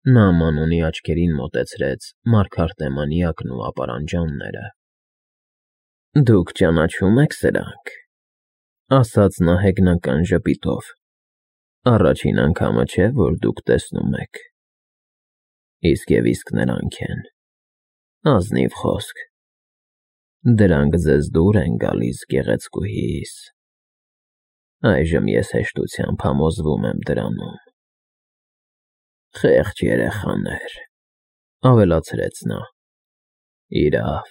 Նա Մանոնի աչքերին մոտեցրեց մարգարտեմանիակն ու ապարանջանները։ Դուք ճանաչում եք սրանք, ասաց նա հեգնական ժպիտով։ Առաջին անգամը չէ, որ դուք տեսնում եք։ Իսկ և իսկ նրանք են։ Ազնիվ խոսք։ Դրանք ձեզ դուր են գալիս, գեղեցկուհիս։ Այժմ ես հեշտությամբ համոզվում եմ դրանում։ Խեղճ երեխաներ, ավելացրեց նա։ Իրավ,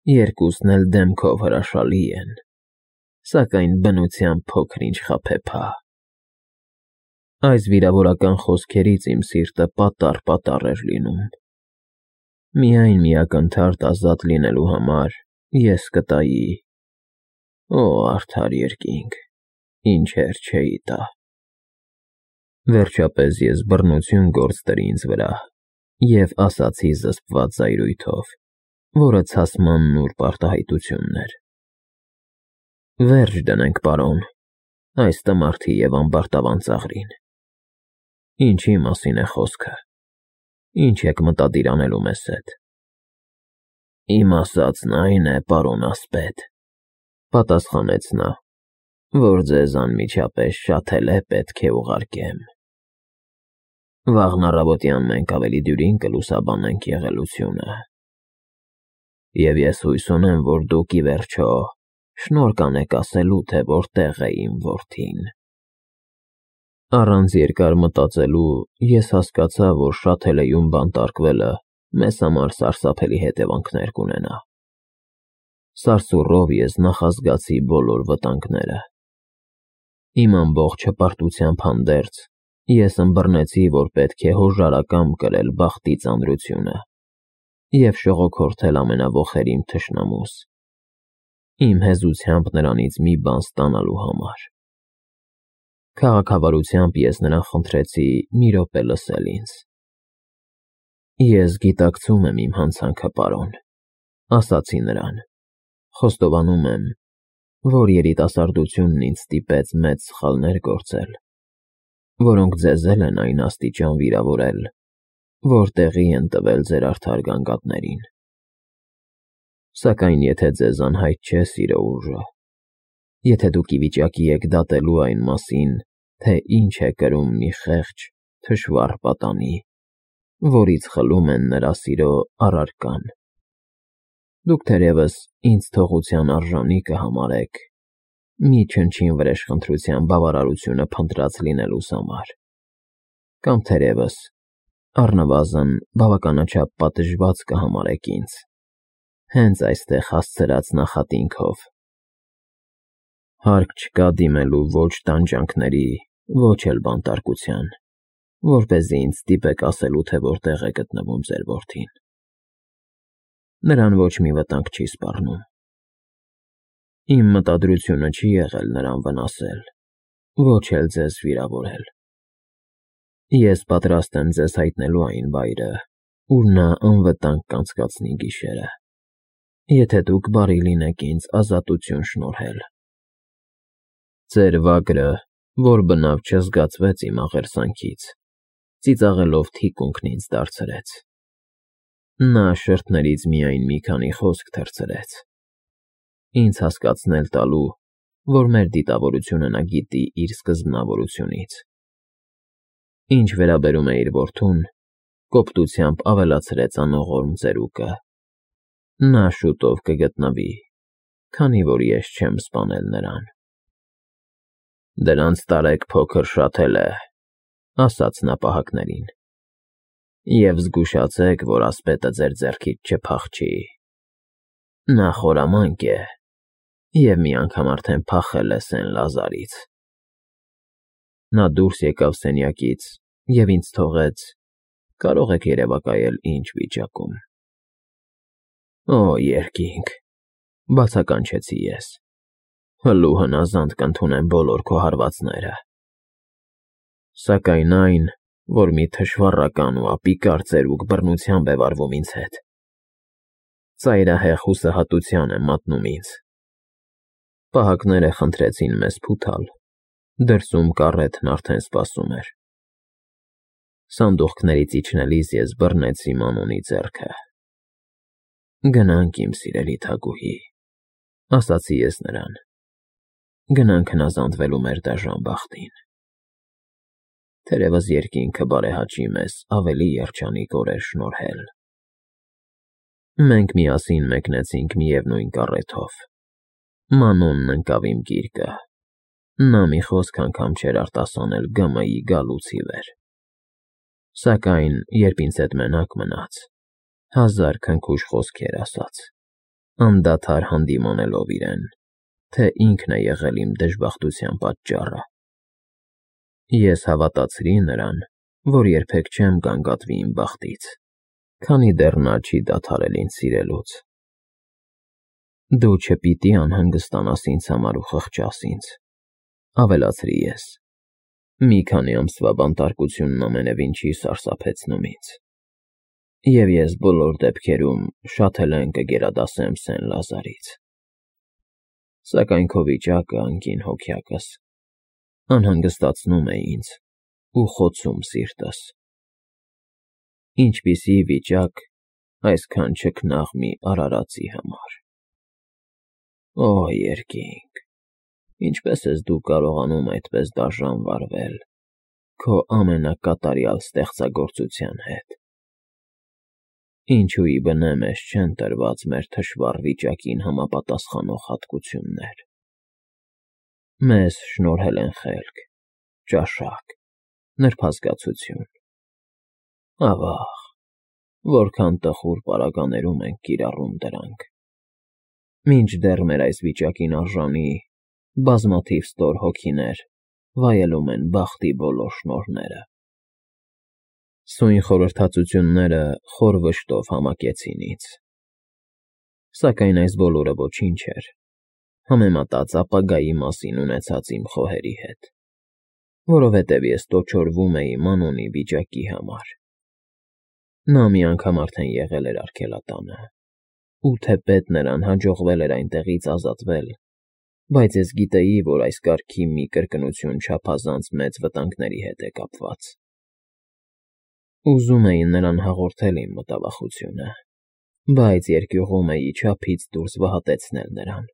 երկուսն էլ դեմքով հրաշալի են, սակայն բնությամբ փոքր-ինչ խաբեբա։ Այս վիրավորական խոսքերից իմ սիրտը պատառ էր լինում։ Միայն մի ակնթարթ ազատ լինելու համար ես կտայի… Օ, արդար երկինք, ինչեր չէի տա։ Վերջապես ես բռնություն գործ դրի ինձ վրա և ասացի զսպված զայրույթով, որը ցասման նուրբ արտահայտությունն էր. Վերջ դնենք, պարոն, այս տմարդի և ամբարտավան ծաղրին։ Ինչի մասին է խոսքը, ինչ եք մտադիր անելու մեզ հետ։ Իմ ասածն այն է, պարոն ասպետ, պատասխանեց նա, որ ձեզ անմիջապես շատ էլ է պետք է ուղարկեմ։ Վաղն առավոտյան մենք ավելի դյուրին կլուսաբանենք եղելությունը։ Եվ ես հույս ունեմ, որ դուք ի վերջո շնորհ կանեք ասելու, թե որտեղ է իմ որդին։ Առանց երկար մտածելու ես հասկացա, որ Շաթելեում բանտարկվելը մեզ համար սարսափելի հետևանքներ կունենա։ Սարսուռով ես նախազգացի բոլոր վտանգները։ Իմ ամբողջ հպարտությամբ հանդերձ ես ըմբռնեցի, որ պետք է հոժարակամ կրել բախտի ծանրությունը և շողոքորթել ամենավոխերիմ թշնամուս, իմ հեզությամբ նրանից մի բան ստանալու համար։ Քաղաքավարությամբ ես նրան խնդրեցի մի րոպե լսել ինձ։ Ես գիտակցում եմ իմ հանցանքը, պարոն, ասացի նրան, խոստովանում եմ, որ երիտասարդությունն ինձ ստիպեց մեծ սխալներ գործել, որոնք ձեզ էլ են այն աստիճան վիրավորել, որ տեղի են տվել ձեր արդար գանգատներին։ Սակայն եթե ձեզ անհայտ չէ սիրո ուժը, եթե դուք ի վիճակի եք դատելու այն մասին, թե ինչ է կրում մի խեղճ, թշվառ պատանի, որից խլում են նրա սիրո առարկան, դուք թերևս ինձ թողության արժանի կհամարեք մի չնչին վրեժխնդրության բավարարությունը փնտրած լինելուս համար, կամ թերևս առնվազն բավականաչափ պատժված կհամարեք ինձ, հենց այստեղ հասցրած նախատինքով։ Հարկ չկա դիմելու ոչ տանջանքների, ոչ էլ բանտարկության, որպեսզի ինձ ստիպեք ասելու, թե որտեղ է գտնվում ձեր որդին։ Նրան ոչ մի վտանգ չի սպառնում։ Իմ մտադրությունը չի եղել նրան վնասել, ոչ էլ ձեզ վիրավորել։ Ես պատրաստ եմ ձեզ հայտնելու այն վայրը, ուր նա անվտանգ կանցկացնի գիշերը, եթե դուք բարի լինեք ինձ ազատություն շնորհել։ Ձեր վագրը, որ բնավ չզգացվեց իմ աղերսանքից, ծիծաղելով թիկունքն ինձ դարձրեց։ Նա շրթներից միայն մի քանի խոսք թռցրեց, ինձ հասկացնել տալու, որ մեր դիտավորությունը նա գիտի իր սկզբնավորությունից։ Ինչ վերաբերում է իր որդուն, կոպտությամբ ավելացրեց անողորմ ծերուկը, նա շուտով կգտնվի, քանի որ ես չեմ սպանել նրան։ Դրանց տարեք փոքր Շաթելե, ասաց նա պահակներին, և զգուշացեք, որ ասպետը ձեր ձեռքից չփախչի։ Նա խորամանկ է և մի անգամ արդեն փախել է Սեն֊Լազարից։ Նա դուրս եկավ սենյակից և ինձ թողեց, կարող եք երևակայել ինչ վիճակում։ Օ, երկինք, բացականչեցի ես, հլու հնազանդ կընդունեմ բոլոր քո հարվածները։ Սակայն այն, որ մի թշվառական ու ապիկար ծերուկ բռնությամբ է վարվում ինձ հետ, ծայրահեղ հուսահատության է մատնում ինձ։ Պահակները խնդրեցին մեզ փութալ, դրսում կառեթն արդեն սպասում էր։ Սանդուղքներից իջնելիս ես բռնեցի Մանոնի ձեռքը։ «Գնանք, իմ սիրելի թագուհի», ասացի ես նրան։ «Գնանք հնազանդվելու մեր դաժան բախտին։ Թերևս երկինքը բարեհաճի մեզ ավելի երջանիկ օրեր շնորհել»։ Մենք միասին մեկնեցինք միևնույն կառեթով։ Մանոնն ընկավ իմ գիրկը։ Նա մի խոսք անգամ չէր արտասանել ԳՄ-ի գալուց ի վեր։ Սակայն, երբ ինձ հետ մենակ մնաց, հազար քնքուշ խոսքեր ասաց, անդադար հանդիմանելով իրեն, թե ինքն է եղել իմ դժբախտության պատճառը։ Ես հավատացրի նրան, որ երբեք չեմ գանգատվի իմ բախտից, քանի դեռ նա չի դադարել ինձ սիրելուց։ «Դու չպիտի անհանգստանաս ինձ համար ու խղճաս ինձ», ավելացրի ես։ «Մի քանի ամսվա բանտարկությունն ամենևին չի սարսափեցնում ինձ, և ես բոլոր դեպքերում շատ էլ են կգերադասեմ Սեն֊Լազարից։ Սակայն քո վիճակը, անգին հոգյակս, անհանգստացնում է ինձ ու խոցում սիրտս։ Ինչպիսի վիճակ այսքան չքնաղ մի արարածի համար։ Օ, երկինք, ինչպես ես դու կարողանում այդպես դաժան վարվել քո ամենակատարյալ ստեղծագործության հետ։ Ինչու ի բնե մեզ չեն տրված մեր թշվառ վիճակին համապատասխանող հատկություններ։ Մեզ շնորհել են խելք, ճաշակ, նրբազգացություն։ Ավաղ, որքան տխուր պարագաներում ենք կիրառում դրանք, մինչդեռ մեր այս վիճակին արժանի բազմաթիվ ստոր հոգիներ վայելում են բախտի բոլոր շնորհները։ Սույն խորհրդածությունները խոր վշտով համակեցին ինձ։ Սակայն այս բոլորը ոչինչ էր, համեմատած ապագայի մասին ունեցած իմ խոհերի հետ, որովհետև ես տոչորվում էի Մանոնի վիճակի համար։ Նա մի անգամ արդեն եղել էր արգելատանը, ու թեպետ նրան հաջողվել էր այնտեղից ազատվել, բայց ես գիտեի, որ այս կարգի մի կրկնություն չափազանց մեծ վտանգների հետ է կապված։ Ուզում էի նրան հաղորդել իմ մտավախությունը, բայց երկյուղում էի չափից դուրս վհատեցնել նրան։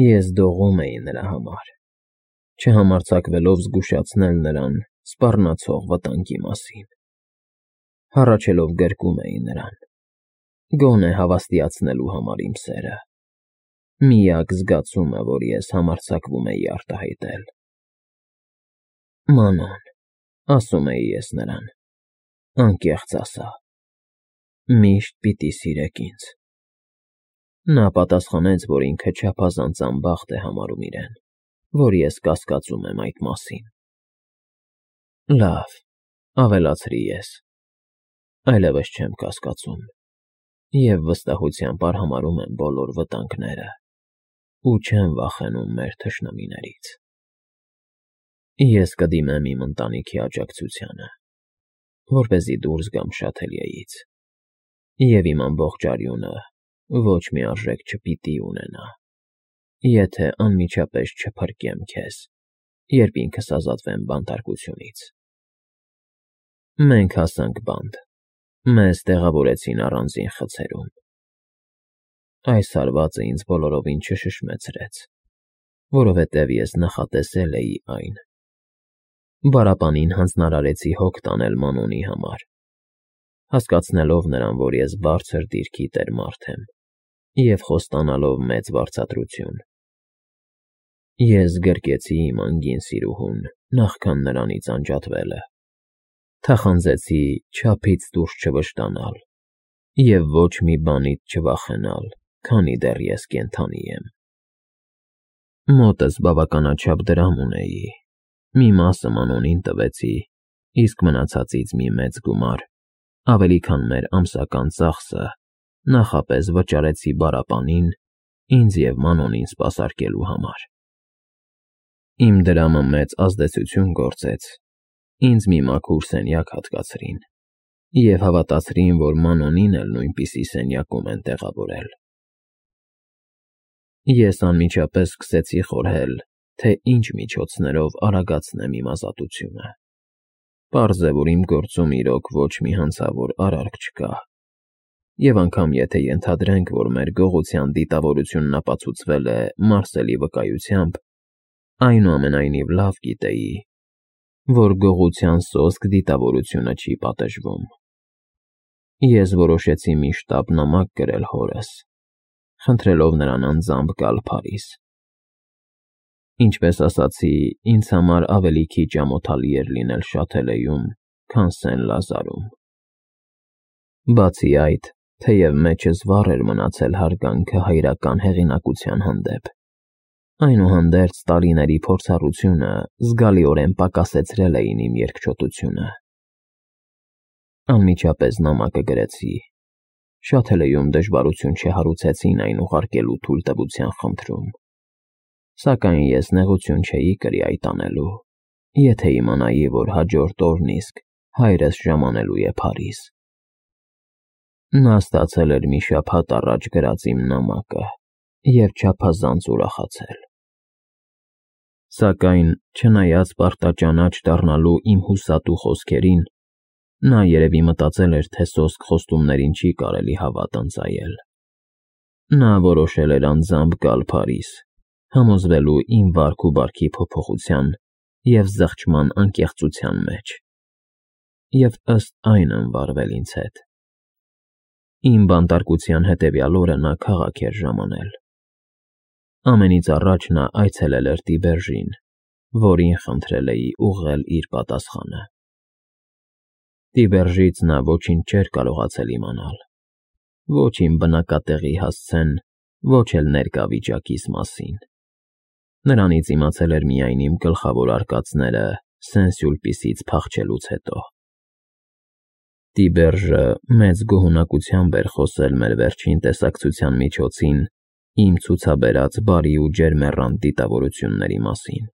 Ես դողում էի նրա համար, չհամարձակվելով զգուշացնել նրան սպառնացող վտանգի մասին։ Հառաչելով գրկում էի նրան, գոնե հավաստիացնելու համար իմ սերը, միակ զգացումը, որ ես համարձակվում էի արտահայտել։ Մանոն, ասում էի ես նրան, անկեղծ ասա, միշտ պիտի սիրեք ինձ։ Նա պատասխանեց, որ ինքը չափազանց անբախտ է համարում իրեն, որ ես կասկածում եմ այդ մասին։ Լավ, ավելացրի ես, այլևս չեմ կասկածում և վստահությամբ արհամարհում եմ բոլոր վտանգները ու չեմ վախենում մեր թշնամիներից։ Ես կդիմեմ իմ ընտանիքի աջակցությանը, որպեսզի դուրս գամ Շաթելյեից, և իմ ամբողջ արյունը ոչ մի արժեք չպիտի ունենա, եթե անմիջապես չփրկեմ քեզ, երբ ինքս ազատվեմ բանտարկությունից։ Մենք հասանք բանտ, մեզ տեղավորեցին առանձին խցերում։ Այս հարվածը ինձ բոլորովին չշշմեցրեց, որովհետև ես նախատեսել էի այն։ Բարապանին հանձնարարեցի հոգ տանել Մանոնի համար, հասկացնելով նրան, որ ես բարձր դիրքի տեր մարդ եմ, և խոստանալով մեծ վարձատրություն։ Ես գրկեցի իմ անգին սիրուհուն նախքան նրանից անջատվելը, թախանձեցի չափից դուրս չվշտանալ և ոչ մի բանից չվախենալ, քանի դեռ ես կենդանի եմ։ Մոտս բավականաչափ դրամ ունեի, մի մասը Մանոնին տվեցի, իսկ մնացածից մի մեծ գումար, ավելի քան մեր ամսական ծախսը, նախապես վճարեցի Բարապանին, ինձ և Մանոնին սպասարկելու համար։ Իմ դրամը մեծ ազդեցություն գործեց, ինձ մի մաքուր սենյակ հատկացրին և հավատացրին, որ Մանոնին էլ նույնպիսի սենյակում են տեղավորել։ Ես անմիջապես սկսեցի խորհել, թե ինչ միջոցներով արագացնեմ իմ ազատությունը։ Պարզ է, որ իմ գործում իրոք ոչ մի հանցավոր արարք չկա։ Եվ անգամ եթե ենթադրենք, որ մեր գողության դիտավորությունն ապացուցվել է Մարսելի վկայությամբ, այնուամենայնիվ լավ գիտեի, որ գողության սոսկ դիտավորությունը չի պատժվում։ Ես որոշեցի մի շտապ նամակ գրել հորս, խնդրելով նրան անձամբ գալ Փարիզ։ Ինչպես ասացի, ինձ համար ավելի քիչ ամոթալի էր լինել Շաթելեում, քան Սեն-Լազարում։ Բացի այդ, թեև մեջս վառ էր մնացել հարգանքը հայրական հեղինակության հանդեպ, այնուհանդերձ տարիների փորձառությունը զգալիորեն պակասեցրել էին իմ երկչոտությունը։ Անմիջապես նամակը գրեցի։ Շաթելեում դժվարություն չհարուցեցին այն ուղարկելու թույլտվության խնդրում, սակայն ես նեղություն չէի կրի այդ անելու, եթե իմանայի, որ հաջորդ օրն իսկ հայրս ժամանելու է Փարիզ։ Նա ստացել էր մի շաբաթ առաջ գրած իմ նամակը և չափազանց ուրախացել։ Սակայն, չնայած պարտաճանաչ դառնալու իմ հուսատու խոսքերին, նա երևի մտածել էր, թե սոսկ խոստումներին չի կարելի հավատ ընծայել։ Նա որոշել էր անձամբ գալ Փարիզ, համոզվելու իմ վարք ու բարքի փոփոխության և զղջման անկեղծության մեջ, և ըստ այն վարվել ինձ հետ։ Իմ բանտարկության հետևյալ օրը նա քաղաք էր ժամանել։ Ամենից առաջ նա այցելել էր Տիբերժին, որին խնդրել էի ուղղել իր պատասխանը։ Տիբերժից նա ոչինչ չէր կարողացել իմանալ, ոչ իմ բնակատեղի հասցեն, ոչ էլ ներկա վիճակիս մասին։ Նրանից իմացել էր միայն իմ գլխավոր արկածները Սեն-Սյուլպիսից փախչելուց հետո։ Տիբերժը մեծ գոհունակությամբ էր խոսել մեր վերջին տեսակցության միջոցին իմ ցուցաբերած բարի ու ջերմեռանդ դիտավորությունների մասին։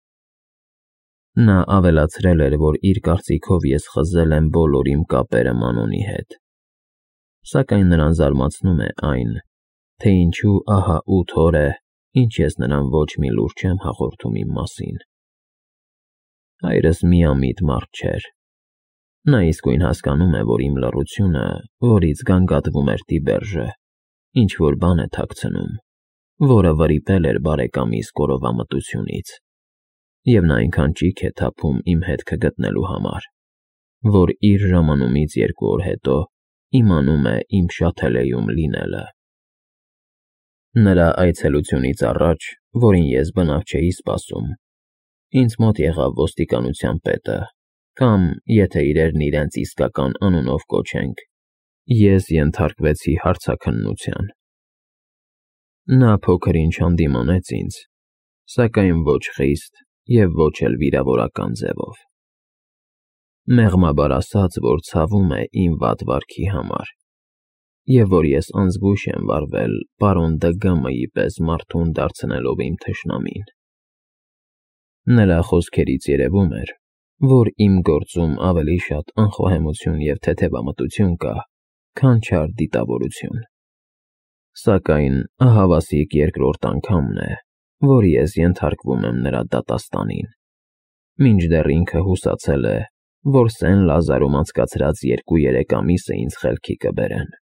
Նա ավելացրել էր, որ իր կարծիքով ես խզել եմ բոլոր իմ կապերը Մանոնի հետ, սակայն նրան զարմացնում է այն, թե ինչու ահա 8 օր է, ինչ ես նրան ոչ մի լուր չեմ հաղորդում իմ մասին։ Հայրս միամիտ մարդ չէր։ Նա իսկույն հասկանում է, որ իմ լռությունը, որից գանգատվում էր Տիբերժը, ինչ-որ բան է թաքցնում, որը վրիպել էր բարեկամիս կորովամտությունից, և նա այնքան ճիք է թափում իմ հետքը գտնելու համար, որ իր ժամանումից 2 օր հետո իմանում է իմ Շաթելեում լինելը։ Նրա այցելությունից առաջ, որին ես բնավ չէի սպասում, ինձ մոտ եղավ ոստիկանության պետը, կամ, եթե իրերն իրենց իսկական անունով կոչենք, ես ենթարկվեցի հարցաքննության։ Նա փոքր-ինչ հանդիմանեց ինձ, սակայն ոչ խիստ և ոչ էլ վիրավորական ձևով։ Մեղմաբար ասաց, որ ցավում է իմ վատ վարքի համար, և որ ես անզգույշ եմ վարվել պարոն Դգ.Մ.-ի պես մարդուն դարձնելով իմ թշնամին։ Նրա խոսքերից երևում էր, որ իմ գործում ավելի շատ անխոհեմություն և թեթևամտություն կա, քան չար դիտավորություն։ Սակայն ահավասիկ երկրորդ անգամն է, որ ես ենթարկվում եմ նրա դատաստանին, մինչդեռ ինքը հուսացել է, որ Սեն-Լազարում անցկացրած 2-3 ամիսը ինձ խելքի կբերեն։